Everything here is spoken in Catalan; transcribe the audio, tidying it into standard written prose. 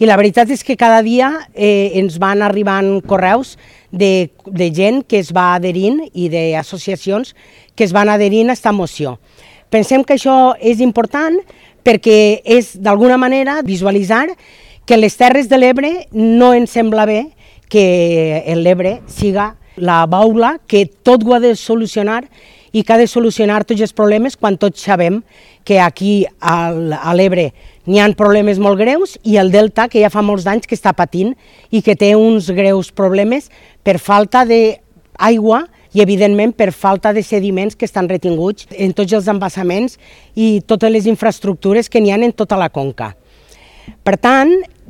I la veritat és que cada dia ens van arribant correus de gent que es va adherint i d'associacions que es van adherint a aquesta moció. Pensem que això és important perquè és d'alguna manera visualitzar que les Terres de l'Ebre no ens sembla bé que l'Ebre siga la baula que tot ho ha de solucionar i que ha de solucionar tots els problemes quan tots sabem que aquí a l'Ebre n'hi ha problemes molt greus i el Delta, que ja fa molts anys que està patint i que té uns greus problemes per falta d'aigua i, evidentment, per falta de sediments que estan retinguts en tots els embassaments i totes les infraestructures que n'hi ha en tota la conca. Per tant,